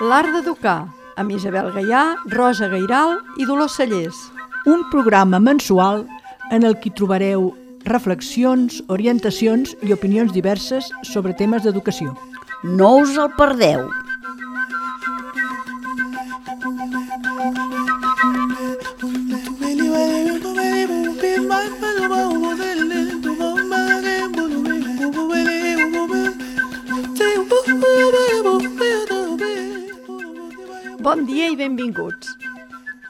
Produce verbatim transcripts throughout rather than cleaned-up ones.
L'art d'educar, amb Isabel Gaià, Rosa Gairal i Dolors Cellers. Un programa mensual en el que trobareu reflexions, orientacions i opinions diverses sobre temes d'educació. No us el perdeu! Bon dia i benvinguts.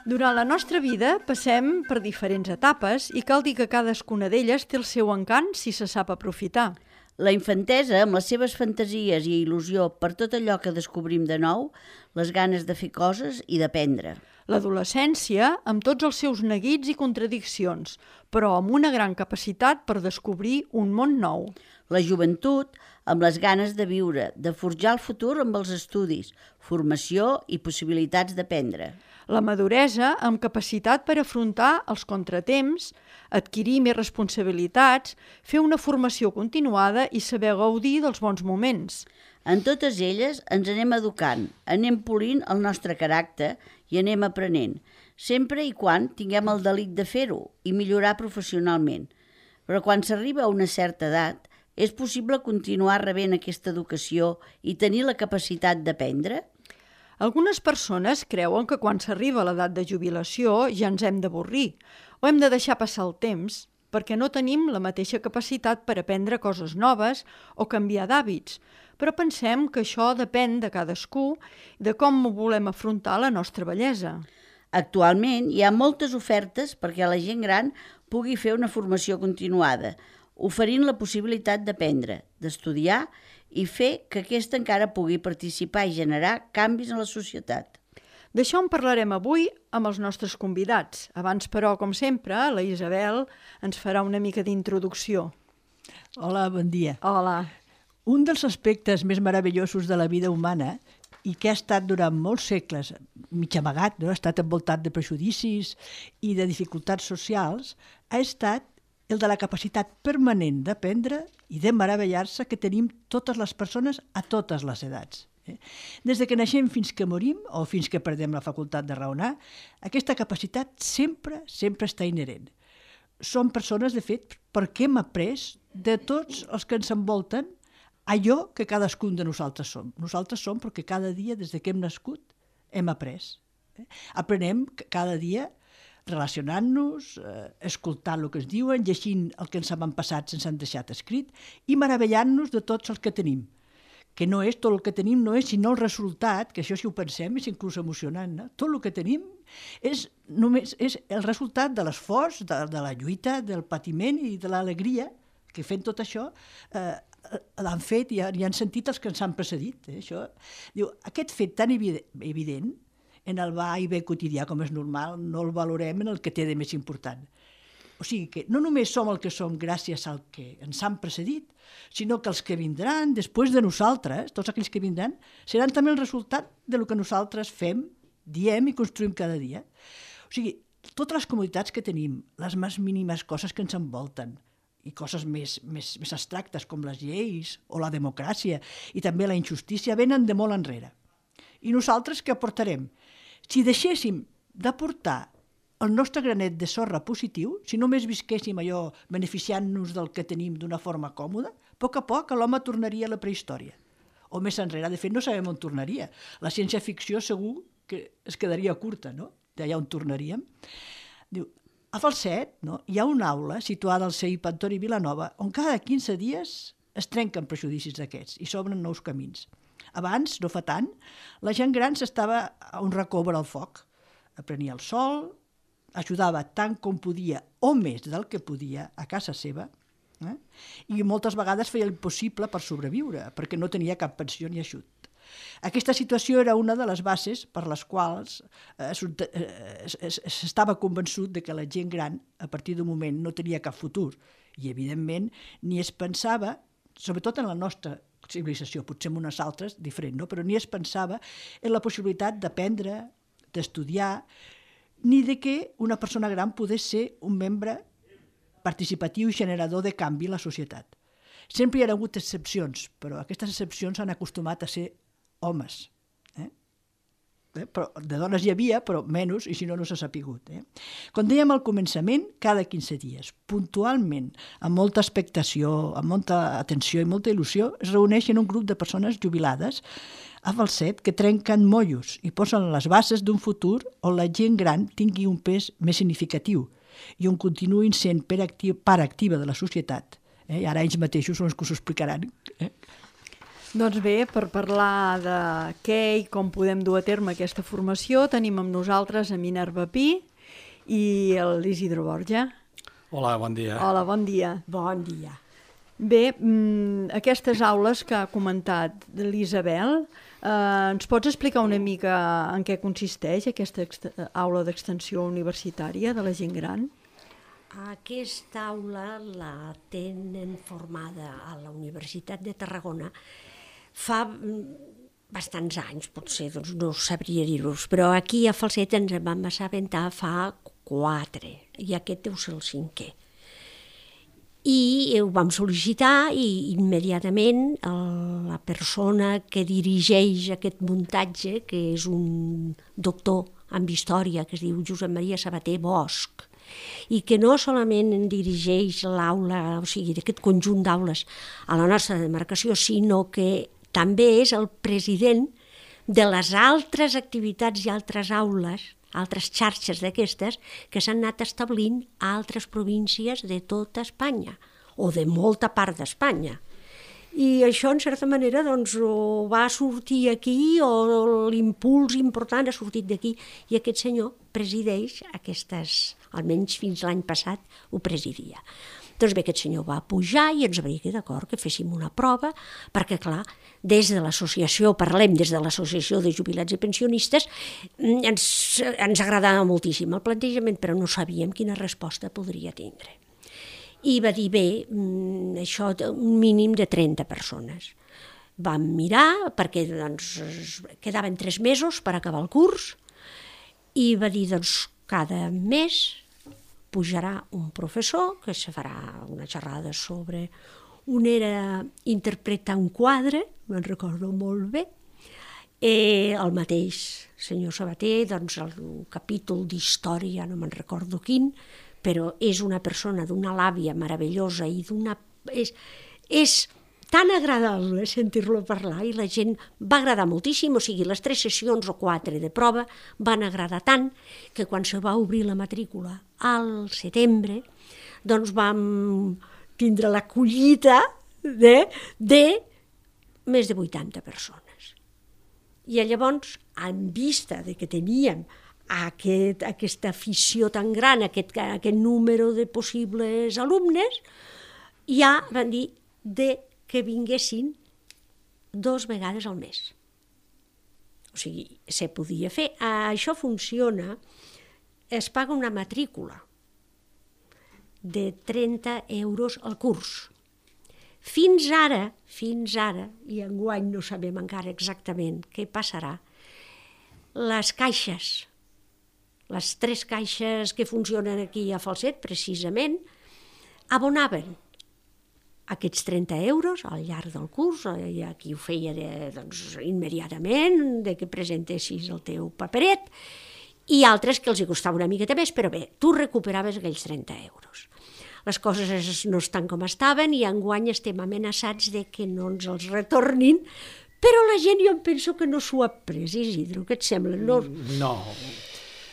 Durant la nostra vida passem per diferents etapes i cal dir que cadascuna d'elles té el seu encant si se sap aprofitar. La infantesa, amb les seves fantasies i il·lusió per tot allò que descobrim de nou, les ganes de fer coses i d'aprendre. L'adolescència, amb tots els seus neguits i contradiccions, però amb una gran capacitat per descobrir un món nou. La joventut, amb les ganes de viure, de forjar el futur amb els estudis, formació i possibilitats d'aprendre. La maduresa, amb capacitat per afrontar els contratemps, adquirir més responsabilitats, fer una formació continuada i saber gaudir dels bons moments. En totes elles ens anem educant, anem polint el nostre caràcter i anem aprenent, sempre i quan tinguem el delit de fer-ho i millorar professionalment. Però quan s'arriba a una certa edat, és possible continuar rebent aquesta educació i tenir la capacitat d'aprendre? Algunes persones creuen que quan s'arriba a l'edat de jubilació ja ens hem d'avorrir o hem de deixar passar el temps perquè no tenim la mateixa capacitat per aprendre coses noves o canviar d'hàbits, però pensem que això depèn de cadascú i de com volem afrontar la nostra vellesa. Actualment hi ha moltes ofertes perquè la gent gran pugui fer una formació continuada, oferint la possibilitat d'aprendre, d'estudiar i fer que aquesta encara pugui participar i generar canvis en la societat. D'això en parlarem avui amb els nostres convidats. Abans, però, com sempre, la Isabel ens farà una mica d'introducció. Hola, bon dia. Hola. Un dels aspectes més meravellosos de la vida humana i que ha estat durant molts segles mig amagat, no? Ha estat envoltat de prejudicis i de dificultats socials, ha estat el de la capacitat permanent d'aprendre i de meravellar-se que tenim totes les persones a totes les edats. Des de que naixem fins que morim o fins que perdem la facultat de raonar, aquesta capacitat sempre, sempre està inherent. Som persones, de fet, perquè hem après de tots els que ens envolten allò que cadascun de nosaltres som. Nosaltres som perquè cada dia, des que hem nascut, hem après. Aprenem cada dia relacionant-nos, eh, escoltant el que ens diuen, llegint el que ens han passat sense han deixat escrit i meravellant-nos de tots els que tenim. Que no és tot el que tenim, no és sinó el resultat, que això si ho pensem és inclús emocionant, no? Tot el que tenim és, només, és el resultat de l'esforç, de, de la lluita, del patiment i de l'alegria que fent tot això eh, l'han fet i, i han sentit els que ens han precedit. Eh? Això, diu, aquest fet tan evident en el va i ve quotidià, com és normal, no el valorem en el que té de més important. O sigui que no només som el que som gràcies al que ens han precedit, sinó que els que vindran després de nosaltres, tots aquells que vindran, seran també el resultat del que nosaltres fem, diem i construïm cada dia. O sigui, totes les comoditats que tenim, les més mínimes coses que ens envolten, i coses més, més, més abstractes com les lleis o la democràcia i també la injustícia, venen de molt enrere. I nosaltres què aportarem? Si deixéssim d'aportar el nostre granet de sorra positiu, si només visquéssim allò beneficiant-nos del que tenim d'una forma còmoda, a poc a poc l'home tornaria a la prehistòria. O més enrere, de fet no sabem on tornaria. La ciència-ficció segur que es quedaria curta, no? D'allà on tornaríem. Diu, a Falset, no? Hi ha una aula situada al C I P Antoni Vilanova on cada quinze dies es trenquen prejudicis d'aquests i s'obren nous camins. Abans, no fa tant, la gent gran s'estava a un racó vora el foc, prenia el sol, ajudava tant com podia o més del que podia a casa seva, eh? I moltes vegades feia l'impossible per sobreviure, perquè no tenia cap pensió ni ajut. Aquesta situació era una de les bases per les quals eh, s'estava convençut de que la gent gran, a partir d'un moment, no tenia cap futur. I, evidentment, ni es pensava, sobretot en la nostra civilització, potser en unes altres, diferent, no? Però ni es pensava en la possibilitat d'aprendre, d'estudiar, ni de que una persona gran pogués ser un membre participatiu i generador de canvi a la societat. Sempre hi ha hagut excepcions, però aquestes excepcions s'han acostumat a ser homes. Eh? Eh? Però de dones hi havia, però menys, i si no, no s'ha sapigut. Eh? Com dèiem al començament, cada quinze dies, puntualment, amb molta expectació, amb molta atenció i molta il·lusió, es reuneixen un grup de persones jubilades a Falset que trenquen mollos i posen les bases d'un futur on la gent gran tingui un pes més significatiu i on continuïn sent part activa, part activa de la societat. Eh? I ara ells mateixos són els que us ho explicaran. Eh? Doncs bé, per parlar de què i com podem dur a terme aquesta formació, tenim amb nosaltres a Minerva Pi i l'Isidro Borja. Hola, bon dia. Hola, bon dia. Bon dia. Bé, aquestes aules que ha comentat l'Isabel, eh, ens pots explicar una mica en què consisteix aquesta aula d'extensió universitària de la gent gran? Aquesta aula la tenen formada a la Universitat de Tarragona fa bastants anys, potser, doncs no sabria dir-vos, però aquí a Falset ens en vam assabentar fa quatre, i aquest deu ser el cinquè. I ho vam sol·licitar i immediatament la persona que dirigeix aquest muntatge, que és un doctor en història que es diu Josep Maria Sabater Bosch, i que no solament dirigeix l'aula, o sigui, d'aquest conjunt d'aules a la nostra demarcació, sinó que també és el president de les altres activitats i altres aules, altres xarxes d'aquestes, que s'han anat establint a altres províncies de tota Espanya, o de molta part d'Espanya. I això, en certa manera, doncs, o va sortir aquí, o l'impuls important ha sortit d'aquí, i aquest senyor presideix aquestes, almenys fins l'any passat, ho presidia. Doncs bé, aquest senyor va pujar i ens va dir que d'acord, que féssim una prova, perquè, clar, des de l'associació, parlem des de l'associació de jubilats i pensionistes, ens, ens agradava moltíssim el plantejament, però no sabíem quina resposta podria tindre. I va dir, bé, això, un mínim de trenta persones. Vam mirar, perquè doncs, quedaven tres mesos per acabar el curs, i va dir, doncs, cada mes pujarà un professor que se farà una xerrada sobre un era interpretar un quadre, me'n recordo molt bé, eh, el mateix senyor Sabater, doncs el capítol d'història, no me'n recordo quin, però és una persona d'una làbia meravellosa i d'una... És, és tan agradable sentir-lo parlar i la gent va agradar moltíssim, o sigui, les tres sessions o quatre de prova van agradar tant que quan se va obrir la matrícula al setembre, doncs vam tindre la collita de, de més de vuitanta persones. I llavors, en vista de que teníem aquest, aquesta afició tan gran, aquest, aquest número de possibles alumnes, ja van dir de que vinguessin dos vegades al mes. O sigui, se podia fer. Això funciona, es paga una matrícula de trenta euros al curs. Fins ara, fins ara, i enguany no sabem encara exactament què passarà, les caixes, les tres caixes que funcionen aquí a Falset, precisament, abonaven aquests trenta euros al llarg del curs, i aquí ho feia de, doncs, immediatament, de que presentessis el teu paperet, i altres que els hi costava una miqueta més, però bé, tu recuperaves aquells trenta euros. Les coses no estan com estaven i enguany estem amenaçats de que no ens els retornin, però la gent jo em penso que no s'ho ha pres, Isidro, què et sembla? No, no.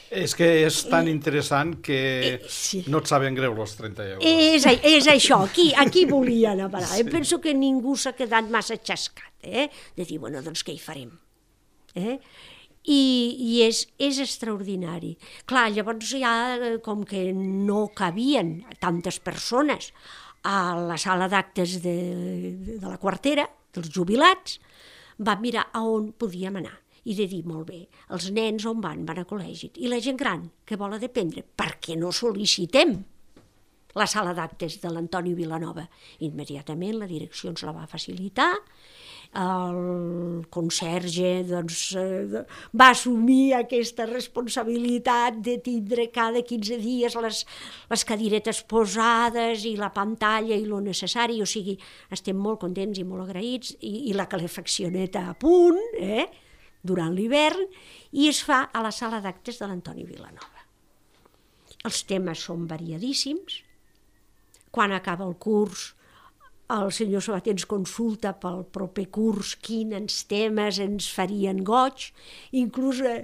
És que és tan interessant que eh, sí. no et saben greu els trenta euros. És, és això, aquí, aquí volia anar a parar. Sí. Em penso que ningú s'ha quedat massa xascat, eh? de dir, bueno, doncs què hi farem? Eh? I, i és, és extraordinari. Clar, llavors ja, com que no cabien tantes persones a la sala d'actes de, de la quartera, dels jubilats, vam mirar a on podíem anar. I de dir, molt bé, els nens on van? Van a col·legi. I la gent gran, que vol dependre? Per què no sol·licitem la sala d'actes de l'Antoni Vilanova. Immediatament la direcció ens la va facilitar, el conserge doncs, eh, va assumir aquesta responsabilitat de tindre cada quinze dies les, les cadiretes posades i la pantalla i lo necessari, o sigui, estem molt contents i molt agraïts, i, i la calefaccioneta a punt, eh, durant l'hivern, i es fa a la sala d'actes de l'Antoni Vilanova. Els temes són variadíssims. Quan acaba el curs, el senyor Sabater ens consulta pel proper curs quins temes ens farien goig, inclús eh,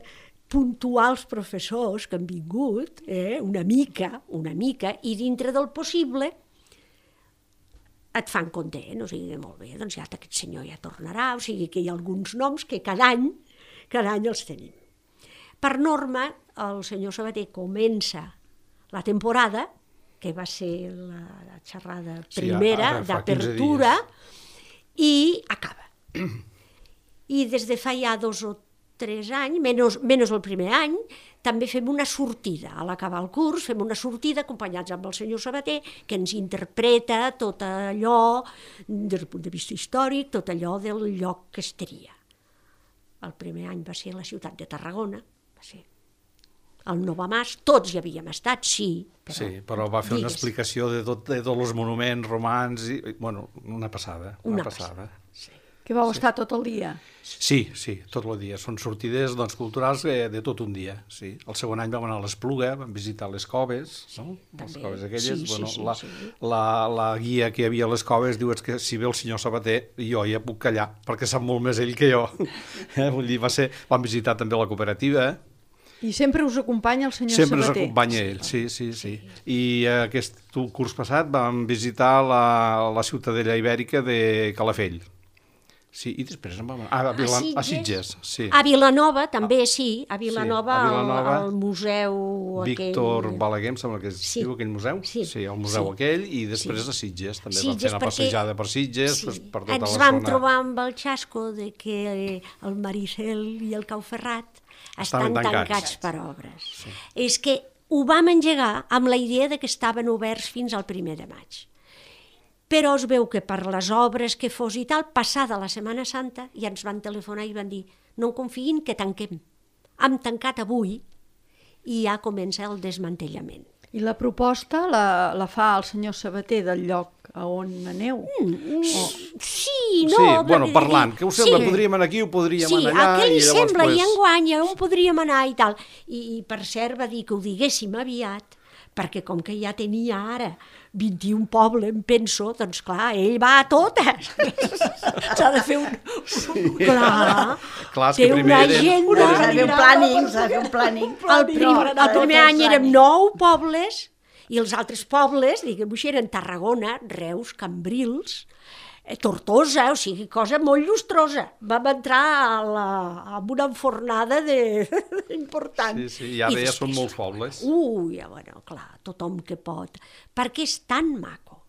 puntuar els professors que han vingut, eh, una mica, una mica, i dintre del possible et fan content, o sigui, molt bé, doncs ja aquest senyor ja tornarà, o sigui que hi ha alguns noms que cada any, cada any els tenim. Per norma, el senyor Sabater comença la temporada, que va ser la, la xerrada primera, sí, d'apertura, i acaba. I des de fa ja dos o tres anys, menys, menys el primer any, també fem una sortida. A l'acabar el curs fem una sortida acompanyats amb el senyor Sabater, que ens interpreta tot allò, des del punt de vista històric, tot allò del lloc que estaria. El primer any va ser la ciutat de Tarragona, va ser el Novamàs, tots hi havíem estat, sí. Però, sí, però va fer digues. Una explicació de, tot, de tots els monuments romans, i, bueno, una passada. Una, una passada. passada. Sí. Que vau sí. estar tot el dia? Sí, sí, tot el dia. Són sortides doncs, culturals de, de tot un dia. Sí. El segon any vam anar a l'Espluga, vam visitar les coves, no? També. Les coves aquelles. Sí, bueno, sí, sí, la, sí. La, la guia que hi havia a les coves diu que si ve el senyor Sabater, jo ja puc callar, perquè sap molt més ell que jo. Eh? Vull dir, va ser, vam visitar també la cooperativa, eh? I sempre us acompanya el senyor sempre Sabater? Sempre ens acompanya ell, sí, sí, sí. I aquest curs passat vam visitar la, la ciutadella ibèrica de Calafell. Sí, i després em vam anar... Ah, a, Vila... a, Sitges? a Sitges, sí. A Vilanova també, sí. A Vilanova, sí, a Vilanova el, el museu Víctor aquell... Balaguer, em sembla que es sí. diu aquell museu. Sí, sí el museu sí. aquell, i després sí. a Sitges. També Sitges, vam fer una perquè... passejada per Sitges, sí. per tota Ens la vam zona. trobar amb el xasco de que el Maricel i el Cauferrat estan tancats. tancats per obres. Sí. És que ho vam engegar amb la idea de que estaven oberts fins al primer de maig. Però es veu que per les obres que fos i tal, passada la Setmana Santa, ja ens van telefonar i van dir no en confiïn que tanquem. Hem tancat avui i ja comença el desmantellament. I la proposta la, la fa el senyor Sabater del lloc a on aneu? Mm, o... Sí, no... Sí, bueno, parlant, que ho sembla, sí. podríem anar aquí, ho podríem sí, anar allà... Sí, a què li i llavors, sembla, pues... i enguany, on podríem anar i tal. I, I per cert va dir que ho diguéssim aviat, perquè com que ja tenia ara vint-i-un pobles, em penso, doncs clar, ell va a totes. S'ha de fer un... Sí. Clar, clar té una agenda... S'ha de fer un planning, s'ha de fer un planning. El primer, el primer any érem nou pobles, i els altres pobles, diguem-ho, eren Tarragona, Reus, Cambrils, Tortosa, o sigui, cosa molt llustrosa. Vam entrar a la, amb una enfornada de... important. Sí, sí, i ara I ja són molts pobles. Ui, ja, bueno, clar, tothom que pot. Perquè és tan maco,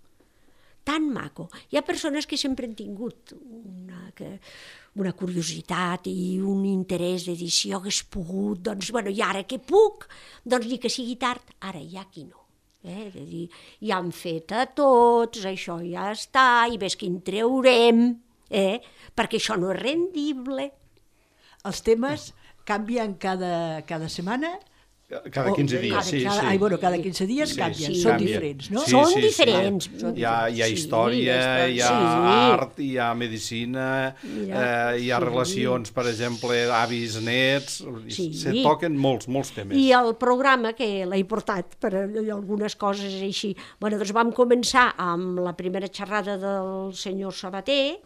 tan maco. Hi ha persones que sempre han tingut una, que, una curiositat i un interès de dir si jo hagués pogut, doncs, bueno, i ara que puc, doncs ni que sigui tard, ara ja aquí no. Eh, de dir, ja han fet a tots, això ja està, i ves quin treurem, eh, perquè això no és rendible. Els temes canvien cada, cada setmana? Cada quinze dies, cada, sí, cada, sí. Ai, bueno, cada quinze dies sí, canvien, sí, són canvien. diferents, no? Sí, Són sí, diferents. Sí. Hi, ha, hi ha història, sí, hi ha sí. art, hi ha medicina, Mira, eh, hi ha sí. relacions, per exemple, avis, nets, sí. se toquen molts, molts temes. I el programa, que l'he portat per algunes coses així, bueno, doncs vam començar amb la primera xerrada del senyor Sabater,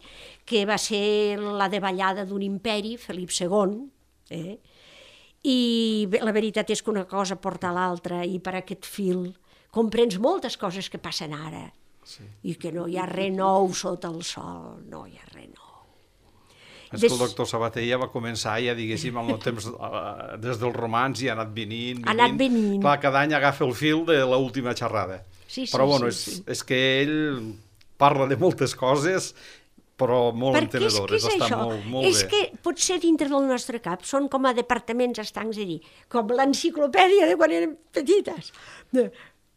que va ser la davallada d'un imperi, Felip segon, eh? I la veritat és que una cosa porta a l'altra, i per aquest fil comprens moltes coses que passen ara, sí. i que no hi ha res nou sota el sol, no hi ha res nou. És que el doctor Sabater ja va començar, ja diguéssim, amb el temps, des dels romans i ha anat venint, venint. Ha anat venint. Clar, cada any agafa el fil de l'última xerrada. Sí, sí, però bueno, sí, sí. És, és que ell parla de moltes coses, però molt perquè entenedores, és que és està això. molt, molt és bé. És que potser dintre del nostre cap són com a departaments estancs, a dir, com l'enciclopèdia de quan érem petites. De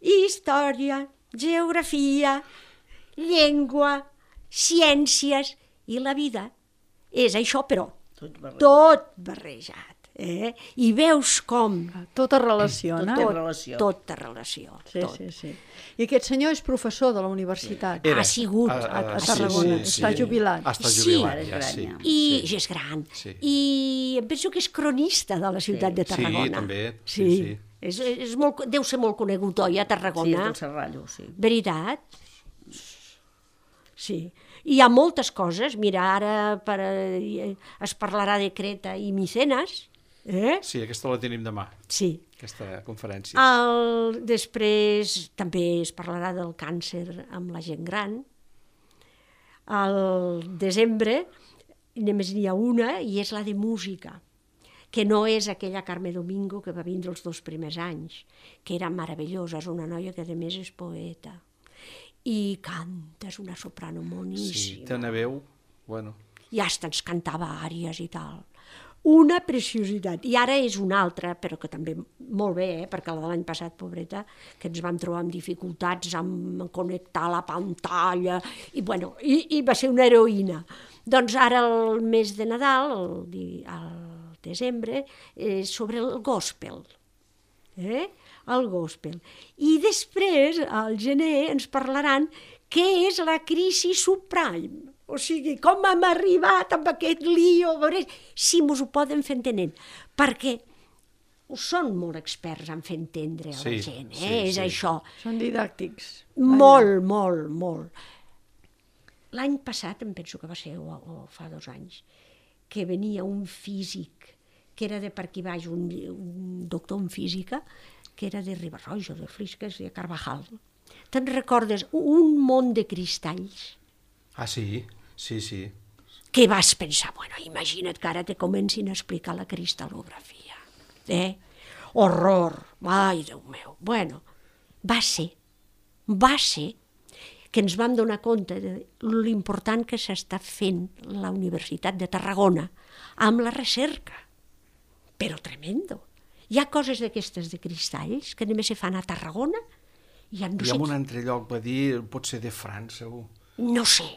història, geografia, llengua, ciències i la vida. És això, però Tot barrejat. tot barrejat. Eh? I veus com Tot es relaciona. Tot té relació. tota relació. Sí, tot. sí, sí. I aquest senyor és professor de la universitat. Ha sigut a, a Tarragona. Està jubilat. Està Sí. jubilat, Ara és ja, gran, sí. ja. I sí. ja és gran. Sí. I em penso que és cronista de la ciutat de Tarragona. Sí, també. Sí, Sí, sí. És, és molt, deu ser molt conegut, oi, a Sí, és Tarragona? del Serrallo, sí. Veritat? Sí. Hi ha moltes coses. Mira, ara per, eh, es parlarà de Creta i Micenes. Eh? Sí, aquesta la tenim demà, Sí. aquesta conferència. El, després també es parlarà del càncer amb la gent gran. Al desembre només n'hi ha una i és la de música, que no és aquella Carme Domingo que va vindre els dos primers anys, que era meravellosa, és una noia que a més és poeta. I canta, és una soprano Sí, moníssima. té una veu, bueno, I hasta ens cantava àries i tal. Una preciositat. I ara és una altra, però que també molt bé, eh? Perquè la de l'any passat, pobreta, que ens vam trobar amb dificultats amb connectar la pantalla, i, bueno, i, i va ser una heroïna. Doncs ara el mes de Nadal, el, di- el desembre, és sobre el gospel. Eh? El gospel. I després, al gener, ens parlaran què és la crisi subprime. O sigui, com hem arribat amb aquest lío, a veure si mos ho poden fer entenent. Perquè són molt experts en fer entendre a la Sí, gent, eh? sí, és sí. això. Són didàctics. Molt, molt, molt. L'any passat, em penso que va ser, o, o fa dos anys, que venia un físic, que era de per aquí baix, un, un doctor en física, que era de Ribarroja, o de Flix, que és de Carvajal. Te'n recordes? Un món de cristalls ah, sí, sí, sí. que vas pensar, bueno, imagina't que ara te comencin a explicar la cristal·lografia. Eh? Horror, ai, Déu meu. Bueno, va ser, va ser que ens vam donar compte de l'important que s'està fent la Universitat de Tarragona amb la recerca. Però tremendo. Hi ha coses d'aquestes de cristalls que només se fan a Tarragona i en no I sé, en un altre lloc va dir, pot ser de França, segur. no sé,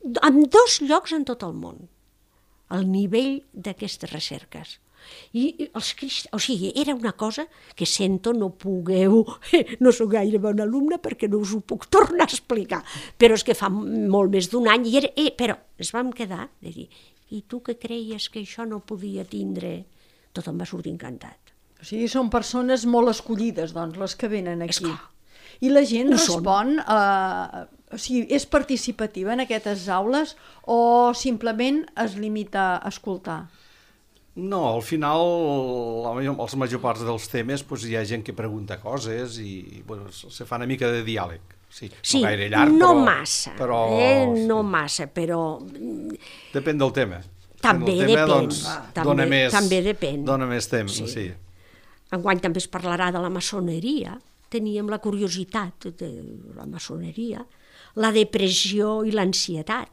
en dos llocs en tot el món, el nivell d'aquestes recerques. I els crist... O sigui, era una cosa que sento no pugueu, no sóc gaire bon alumne perquè no us ho puc tornar a explicar, però és que fa molt més d'un any, i era... eh, però ens vam quedar de dir, i tu que creies que això no podia tindre? Tothom va sortir encantat. O sigui, són persones molt escollides, doncs, les que venen aquí. Esclar. I la gent Ho són. respon, a... o sigui, és participativa en aquestes aules o simplement es limita a escoltar? No, al final, la major, els major parts dels temes, doncs, hi ha gent que pregunta coses i bueno, se fa una mica de diàleg. Sí, Sí, no gaire llarg, no però... massa, però, eh? no sí. massa, però Depèn del tema. també Depèn del tema, depèn. doncs, també, dona més, també depèn. Dona més temps, Sí. sí. Enguany també es parlarà de la maçoneria. Teníem la curiositat de la maçoneria, la depressió i l'ansietat.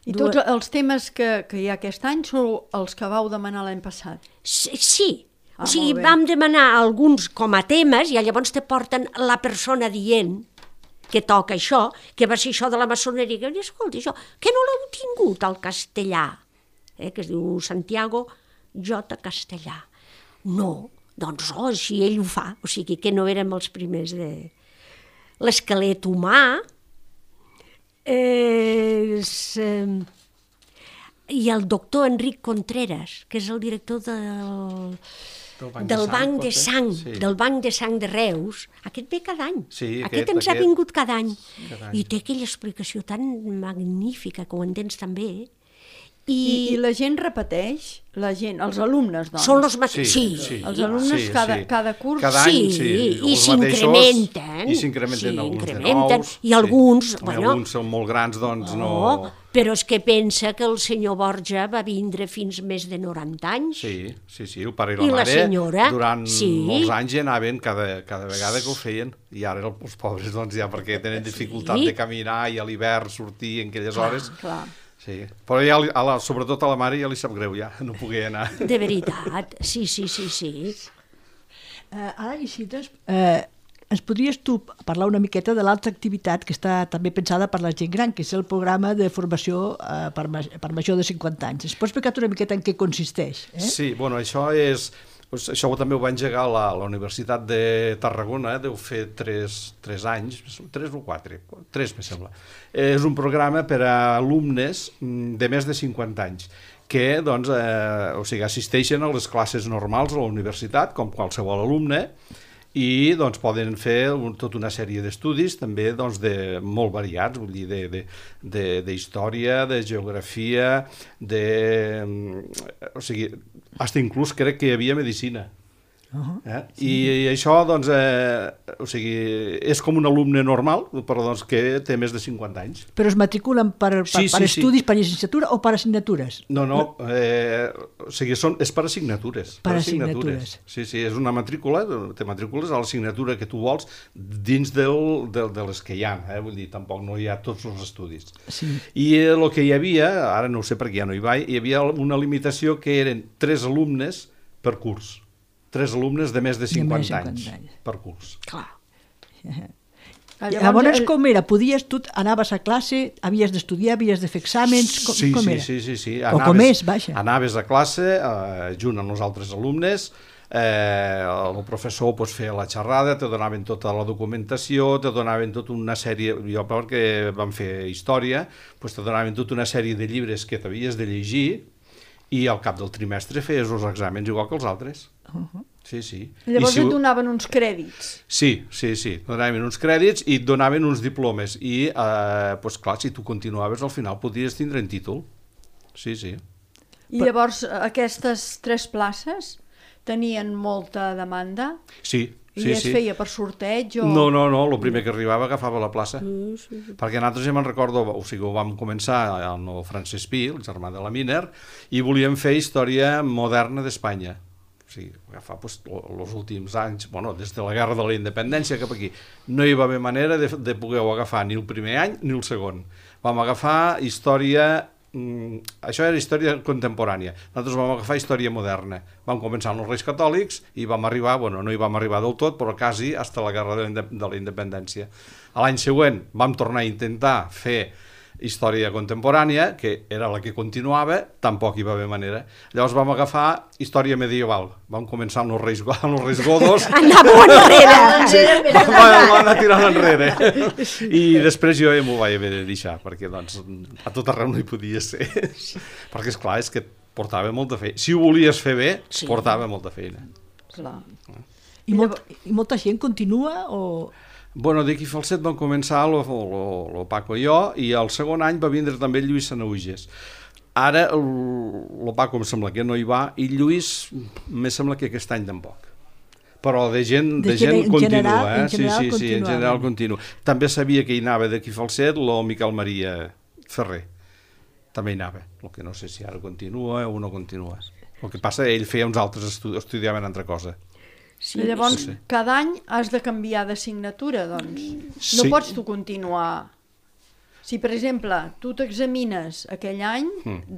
I tots els temes que, que hi ha aquest any són els que vau demanar l'any passat? Sí, sí. Ah, O sigui, molt bé. vam demanar alguns com a temes i llavors te porten la persona dient que toca això, que va ser això de la maçoneria, que escolta, això, que no l'heu tingut al castellà, eh, que es diu Santiago J. Castellà. No, doncs, oh, si ell ho fa, o sigui que no érem els primers de... L'esquelet humà, eh, és, eh, i el doctor Enric Contreras, que és el director del, Del Banc del de Sang, Banc pot de ser? Sang, Sí. del Banc de Sang de Reus. Aquest ve cada any. Sí, aquest, aquest- ens ha aquest- vingut cada any. Cada any. I té aquella explicació tan magnífica, que ho entens també. I, I, I la gent repeteix? La gent, els alumnes, doncs? són els mateixos. Sí, sí. Els alumnes cada- cada curs? Cada any, Sí, sí. i els mateixos, s'incrementen. I s'incrementen Sí, alguns incrementen, de nous. i alguns, sí. bueno- Alguns són molt grans, doncs no... no, però és que pensa que el senyor Borja va vindre fins més de noranta anys. Sí, sí, sí, el pare i la I la mare senyora, durant sí. molts anys hi anaven cada, cada vegada que ho feien, i ara els pobres doncs ja perquè tenen dificultat Sí. de caminar i a l'hivern sortir en aquelles hores. Clar. Sí. Però ja, li- a la, sobretot a la mare ja li sap greu ja, no pogué anar. De veritat, sí, sí, sí, sí. Eh, ara, Isidre, eh, ens podries tu parlar una miqueta de l'altra activitat que està també pensada per la gent gran, que és el programa de formació eh, per, ma per major de cinquanta anys. Es pots explicar una miqueta en què consisteix? Eh? Sí, bueno, això és... Això també ho va engegar la, la Universitat de Tarragona, deu fer tres, tres anys, tres o quatre, tres me sembla. És un programa per a alumnes de més de cinquanta anys, que doncs, eh, o sigui, assisteixen a les classes normals a la universitat, com qualsevol alumne, i doncs, poden fer un, tota una sèrie d'estudis també doncs, de, molt variats, vull dir, d'història, de, de, de, de geografia, de, o sigui, fins inclús crec que hi havia medicina. Uh-huh. eh? Sí. I, I això doncs, eh, o sigui, és com un alumne normal, però doncs, que té més de cinquanta anys. Però es matriculen per, per, sí, sí, per estudis, sí. per llicenciatura o per assignatures? No, no, eh, o sigui, són, és per assignatures. Per, per assignatures. assignatures. Sí, sí, és una matrícula, te matricules a l'assignatura que tu vols dins del, del, de les que hi ha, eh? Vull dir, tampoc no hi ha tots els estudis. Sí. I el eh, que hi havia, ara no ho sé perquè ja no hi vaig, hi havia una limitació que eren tres alumnes per curs. Tres alumnes de més de cinquanta anys per curs. Clar. Llavors, Llavors, com era? Podies, tu anaves a classe, havies d'estudiar, havies de fer exàmens, com, sí, com sí, era? Sí, sí, sí. O com és, vaja. Anaves a classe, eh, junt amb els altres alumnes, eh, el professor pues, feia la xerrada, te donaven tota la documentació, te donaven tota una sèrie, jo perquè vam fer història, pues, te donaven tota una sèrie de llibres que t'havies de llegir, i al cap del trimestre feies els exàmens igual que els altres. Uh-huh. Sí, sí. Llavors si... et donaven uns crèdits. Sí, sí, sí. Et donaven uns crèdits i et donaven uns diplomes. I, eh, doncs clar, si tu continuaves, al final podries tindre un títol. Sí, sí. I Però... llavors aquestes tres places tenien molta demanda? Sí. I sí, es sí. feia per sorteig? O... No, no, no, el primer que arribava agafava la plaça. Mm, sí, sí. Perquè nosaltres ja me'n recordo, o sigui, ho vam començar amb el Francesc Pi, el germà de la Miner, i volíem fer història moderna d'Espanya. O sigui, agafar doncs, els últims anys, bueno, des de la Guerra de la Independència cap aquí, no hi va haver manera de, de poder-ho agafar ni el primer any ni el segon. Vam agafar història... Mm, això era història contemporània. Nosaltres vam agafar història moderna. Vam començar amb els Reis Catòlics i vam arribar, bueno, no hi vam arribar del tot, però quasi fins a la Guerra de la Independència. A l'any següent vam tornar a intentar fer història contemporània, que era la que continuava, tampoc hi va haver manera. Llavors vam agafar història medieval. Vam començar amb els Reis, amb els reis Godos. Anàvem enrere! Sí, vam, vam anar tirant enrere. I després jo m'ho vaig haver de deixar, perquè doncs, a tot arreu no hi podia ser. Perquè, esclar, és que portava molta feina. Si ho volies fer bé, sí. Portava molta feina. Clar. I, molt, I molta gent continua o... Bueno, d'aquí Falset vam començar el, el, el Paco i jo, i el segon any va vindre també el Lluís Sanauges. Ara el, el Paco em sembla que no hi va, i Lluís me sembla que aquest any tampoc. Però de gent, de de gent continua, general, eh? Sí, sí, sí, en general continua. També sabia que hi anava d'aquí Falset el Miquel Maria Ferrer. També hi anava, el que no sé si ara continua o no continua. El que passa, ell feia uns altres estudis, estudiaven altra cosa. Sí, llavors, sí, sí. Cada any has de canviar d'assignatura, doncs. No sí. Pots tu continuar... Si, per exemple, tu t'examines aquell any mm.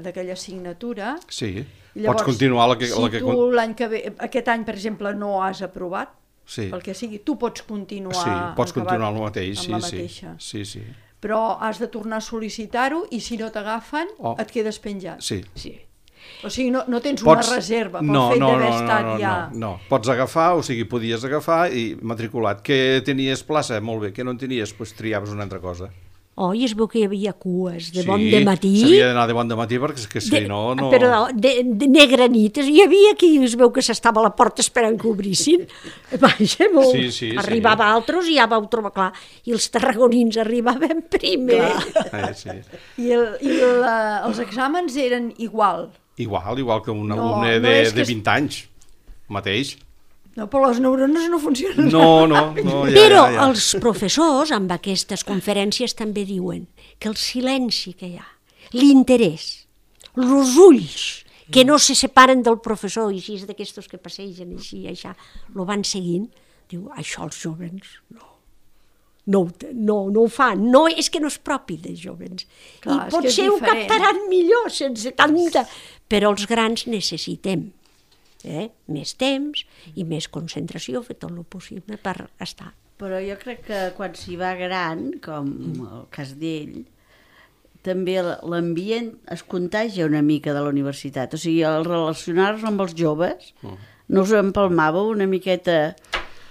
d'aquella assignatura... Sí, llavors, pots continuar la que... Si la que... tu l'any que ve, aquest any, per exemple, no has aprovat, sí. Pel que sigui, tu pots continuar... Sí, pots continuar amb el mateix, amb sí, la mateixa. Sí, sí. Però has de tornar a sol·licitar-ho i si no t'agafen, oh. et quedes penjat. Sí. Sí. O sigui, no, no tens pots... una reserva pel no, fet no, d'haver no, estat no, no, ja... No, no, pots agafar, o sigui, podies agafar i matriculat. Que tenies plaça? Molt bé. Que no en tenies? Doncs triaves una altra cosa. Oh, i es veu que hi havia cues de sí, bon dematí. Sí, s'havia d'anar de bon dematí perquè que si de, no... no... Però de, de negra nit. Hi havia qui es veu que s'estava a la porta esperant que obrissin. Vaja, molt. Sí, sí, arribava sí. Altres i ja vau trobar clar. I els tarragonins arribaven primer. Eh, sí. I, el, i la, els exàmens eren igual. Igual, igual que un no, alumne de, no de vint anys, mateix. No, però les neurones no funcionen. No, no, no. Ja, però ja, ja. Els professors, amb aquestes conferències, també diuen que el silenci que hi ha, l'interès, els ulls, que no se separen del professor, i així és d'aquestos que passegen així, això, lo van seguint, diu, això els jovens no. No, no, no ho fan, no, és que no és propi dels jovens. Clar, I potser ho captaran millor sense tanta... Però els grans necessitem eh? Més temps i més concentració, fer tot el possible per estar. Però jo crec que quan s'hi va gran, com el cas d'ell, també l'ambient es contagia una mica de la universitat. O sigui, el relacionar-nos amb els joves, no us empalmàveu una miqueta...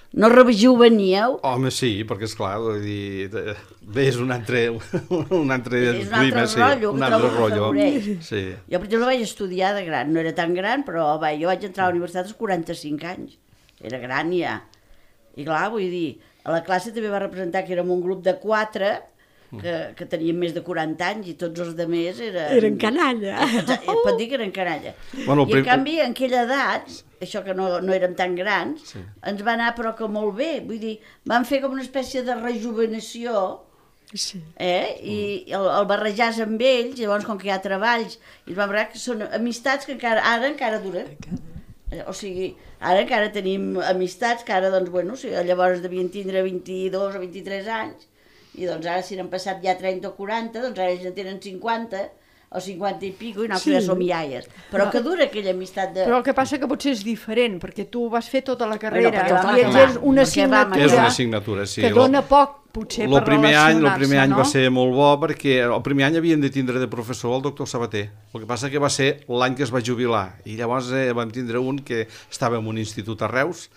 No rejuveníeu? Home, sí, perquè esclar, vull dir, bé, és un altre, un altre és un altre clima, sí, rotllo, un altre rotllo. Sí. Jo, per exemple, vaig estudiar de gran, no era tan gran, però va, jo vaig entrar a la universitat als quaranta-cinc anys. Era gran ja. I clar, vull dir, a la classe també va representar que érem un grup de quatre que, que tenien més de quaranta anys i tots els altres eren... Eren canalla. Pot dir que eren canalla. Bueno, I en canvi, en aquella edat, això que no, no érem tan grans, sí. ens va anar però que molt bé. Vull dir, van fer com una espècie de rejuvenació, sí. eh? I el, el barrejar amb ells, llavors com que hi ha treballs, i es va veure que són amistats que encara, ara encara duren. O sigui, ara encara tenim amistats que ara, doncs, bueno, o sigui, llavors devien tindre vint-i-dos o vint-i-tres anys, i doncs ara si n'han passat ja trenta o quaranta, doncs ara ells en tenen cinquanta o cinquanta i pico i nosaltres sí. ja som iaies. Però que dura aquella amistat de... Però el que passa que potser és diferent, perquè tu vas fer tota la carrera bueno, i ets una assignatura, és una assignatura sí. que dona poc, potser, lo per primer any, relacionar-se, El primer any no? va ser molt bo perquè el primer any havien de tindre de professor el doctor Sabater. El que passa que va ser l'any que es va jubilar i llavors eh, vam tindre un que estava en un institut a Reus,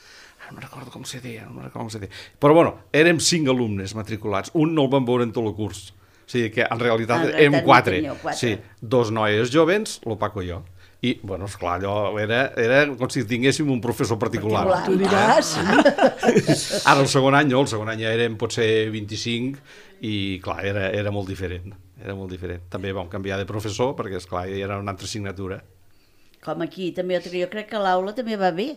no me'n recordo com se deia, no me'n recordo com se deia. Però bueno, érem cinc alumnes matriculats, un no el vam veure en tot el curs. O sigui que en realitat en érem quatre. quatre. Sí, dos noies jovens, el Paco i jo. I, bueno, esclar, allò era, era com si tinguéssim un professor particular. particular. Tu diràs. Ara el segon any no, el segon any ja érem potser vint-i-cinc i clar, era, era molt diferent. Era molt diferent. També vam canviar de professor perquè, esclar, era una altra assignatura. Com aquí, també jo crec que a l'aula també va bé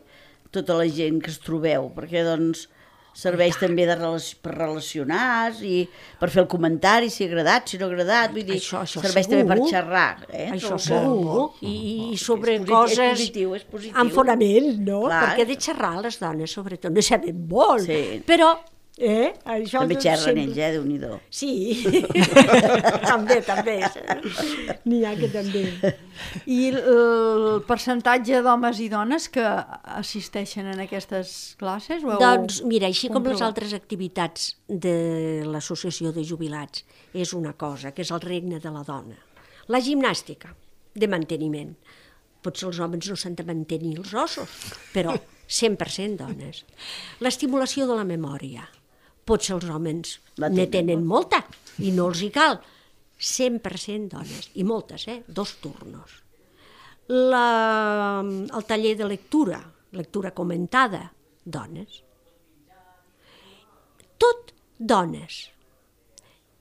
tota la gent que es trobeu, perquè doncs serveix també de relac per relacionar i per fer el comentari, si ha agradat, si no ha agradat, vull dir, això, això serveix segur. també per xerrar. Eh? Això Trobo segur, que... i, i sobre és positiu, coses és positiu, és positiu. amb fonament, no? Clar. Perquè de xerrar les dones, sobretot, no sabem molt, Sí. però... Eh? Això També xerren sempre... ells, eh? Déu-n'hi-do. Sí, també, també. N'hi ha que també. I el percentatge d'homes i dones que assisteixen en aquestes classes? Ho heu Doncs mira, així com les comprovat? altres activitats de l'associació de jubilats, és una cosa, que és el regne de la dona. La gimnàstica, de manteniment. Potser els homes no s'han de mantenir els ossos, però cent per cent dones. L'estimulació de la memòria. Potser els homes La ne tenen, tenen molta i no els hi cal. cent per cent dones, i moltes, eh? Dos turnos. La, el taller de lectura, lectura comentada, dones. Tot dones.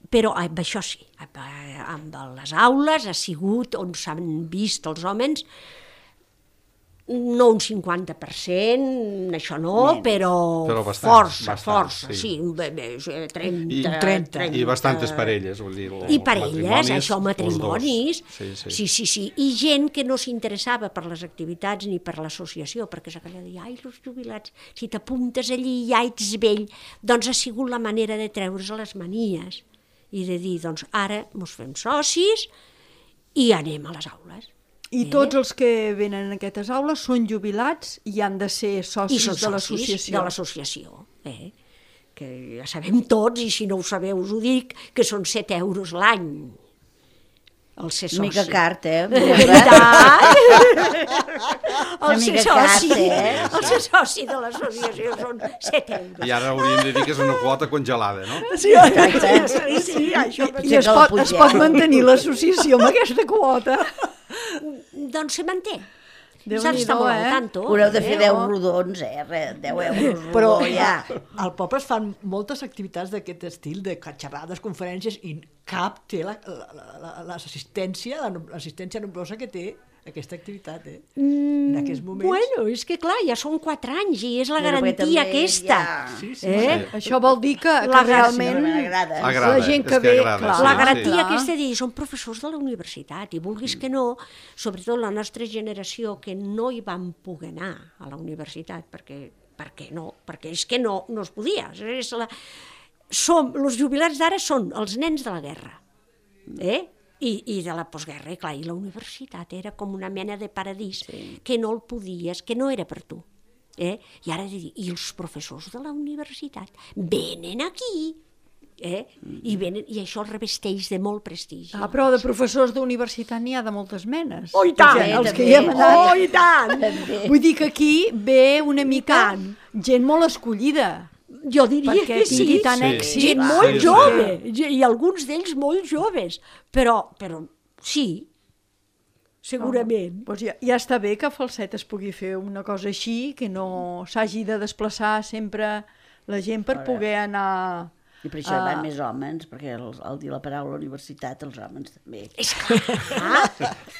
Però amb això sí, amb, amb les aules ha sigut on s'han vist els homes, no un cinquanta per cent, això no, Menys. però, Però bastant, força, bastant, força, sí. sí, bé, bé, trenta, I, trenta. I bastantes parelles, vull dir. I parelles, això, els matrimonis, dos. Sí, sí. sí, sí, sí, i gent que no s'interessava per les activitats ni per l'associació, perquè s'acaba de dir, ai, els jubilats, si t'apuntes allí ja ets vell, doncs ha sigut la manera de treure's les manies i de dir, doncs ara mos fem socis i anem a les aules. I tots els que venen a aquestes aules són jubilats i han de ser I socis són de socis l'associació. de l'associació, eh? Que ja sabem tots, i si no ho sabeu us ho dic, que són set euros l'any. El ser soci. Una mica cart, eh? De veritat? El ser mica soci, cart, eh? el ser soci de l'associació són set euros. I ara hauríem de dir que és una quota congelada, no? Sí, Exacte. sí, sí, això... I es pot, es pot mantenir l'associació amb aquesta quota. Doncs se manté. Déu-n'hi-do, Saps, està molt eh? al tanto. Haureu de fer eh? deu rodons, eh? Res, deu euros Però rodó, ja. al poble es fan moltes activitats d'aquest estil, de xerrades, conferències, i cap té l'assistència, la, la, la, l'assistència nombrosa que té aquesta activitat, eh? Mm, en aquests moments. Bueno, és que clar, ja són quatre anys i és la Bueno, perquè garantia també aquesta. ja- Sí, sí, Eh? sí. Això vol dir que, que La realment m'agrada. Agrada, la gent és que que ve... agrada, clar, sí, La sí. garantia clar. aquesta de dir, són professors de la universitat i vulguis que no, sobretot la nostra generació que no hi vam poder anar a la universitat perquè, perquè no, perquè és que no, no es podia. És la... Som, els jubilats d'ara són els nens de la guerra, eh? I, i de la postguerra, clar, i la universitat era com una mena de paradís, sí. que no el podies, que no era per tu. Eh? I ara dic, i els professors de la universitat venen aquí, eh? I, venen, i això el revesteix de molt prestigi. Ah, però de professors d'universitat n'hi ha de moltes menes. Oh, i tant! Ja, els també. que hi hem anat. Oh, i tant! També. Vull dir que aquí ve una mica gent molt escollida. Jo diria Perquè que sí. tingui tant Sí. èxit. Gent Sí, molt sí. jove, i alguns d'ells molt joves, però, però sí, segurament. Doncs ja, ja està bé que a Falset es pugui fer una cosa així, que no s'hagi de desplaçar sempre la gent per poder anar... I per això hi Ah. van més homes, perquè el, al dir la paraula universitat, els homes també. És clar,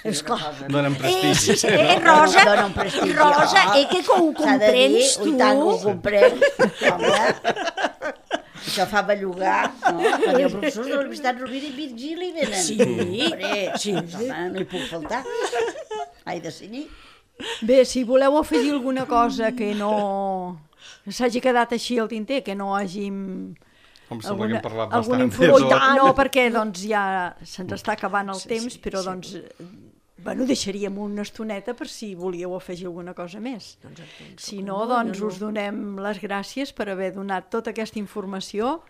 és clar. Donen Eh, prestigi. sí, eh, Rosa, Donen prestigi. Rosa, Oh, eh, que ho s'ha de dir, comprens tu? ui, tant que ho comprens. Home, això fa bellugar, no? Quan hi ha professors de la Universitat Rovira i Virgili venen. Sí. Hombre, Sí. home, no hi puc faltar. Ai, de seguir. Bé, si voleu afegir alguna cosa que no s'hagi quedat així al tinter, que no hàgim... Com sembla que hem parlat alguna bastant. informació. de tot. No, perquè doncs, ja se'ns està acabant el sí, temps, sí, però sí. doncs, bueno, deixaríem una estoneta per si volíeu afegir alguna cosa més. Doncs entenc, Si que no, no, doncs jo no. us donem les gràcies per haver donat tota aquesta informació.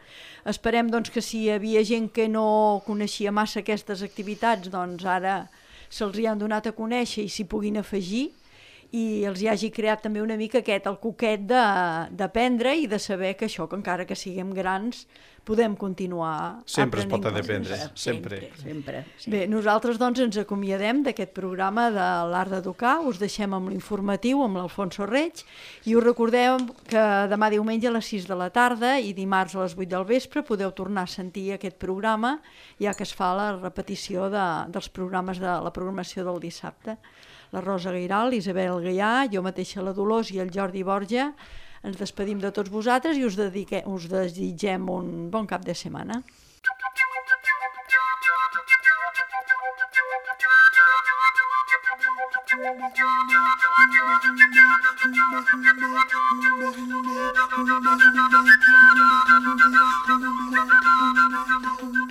Esperem doncs, que si hi havia gent que no coneixia massa aquestes activitats, doncs ara se'ls hi han donat a conèixer i s'hi puguin afegir, i els hi hagi creat també una mica aquest, el coquet d'aprendre i de saber que això, que encara que siguem grans, podem continuar Sempre es pot aprenent aprendre, coses. sempre. Sempre. Bé, nosaltres doncs ens acomiadem d'aquest programa de l'Art d'Educar, us deixem amb l'informatiu, amb l'Alfonso Reig, i us recordem que demà diumenge a les sis de la tarda i dimarts a les vuit del vespre podeu tornar a sentir aquest programa, ja que es fa la repetició de, dels programes de la programació del dissabte. La Rosa Gairal, l'Isabel Gaià, jo mateixa la Dolors i el Jordi Borja, ens despedim de tots vosaltres i us, dedique, us desitgem un bon cap de setmana. Thank you.